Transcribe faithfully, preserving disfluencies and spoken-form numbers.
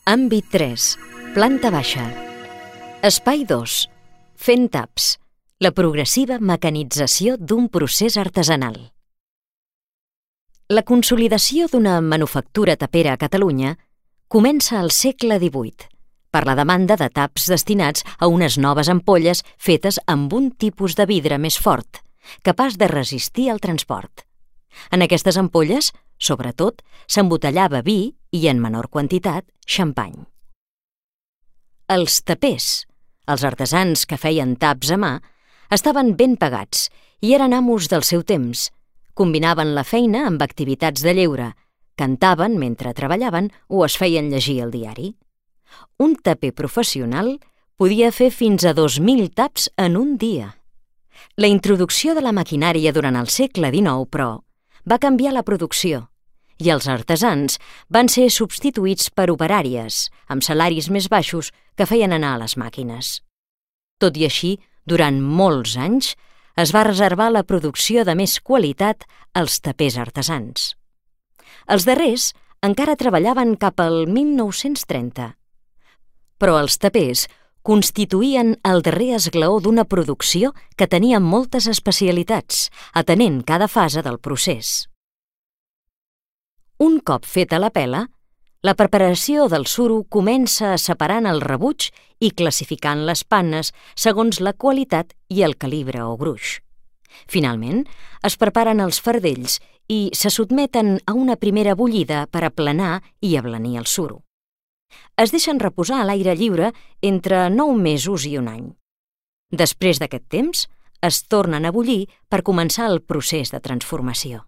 Àmbit tres. Planta baixa. Espai dos. Fent taps. La progressiva mecanització d'un procés artesanal. La consolidació d'una manufactura tapera a Catalunya comença al segle divuit, per la demanda de taps destinats a unes noves ampolles fetes amb un tipus de vidre més fort, capaç de resistir el transport. En aquestes ampolles, sobretot, s'embotellava vi i, en menor quantitat, xampany. Els tapers, els artesans que feien taps a mà, estaven ben pagats i eren amos del seu temps. Combinaven la feina amb activitats de lleure, cantaven mentre treballaven o es feien llegir el diari. Un taper professional podia fer fins a dos mil taps en un dia. La introducció de la maquinària durant el segle dinou, però, va canviar la producció i els artesans van ser substituïts per operàries, amb salaris més baixos que feien anar a les màquines. Tot i així, durant molts anys, es va reservar la producció de més qualitat als tapers artesans. Els darrers encara treballaven cap al mil nou-cents trenta. Però els tapers constituïen el darrer esglaó d'una producció que tenia moltes especialitats, atenent cada fase del procés. Un cop feta la pela, la preparació del suro comença separant el rebuig i classificant les pannes segons la qualitat i el calibre o gruix. Finalment, es preparen els fardells i se sotmeten a una primera bullida per aplanar i ablanir el suro. Es deixen reposar a l'aire lliure entre nou mesos i un any. Després d'aquest temps, es tornen a bullir per començar el procés de transformació.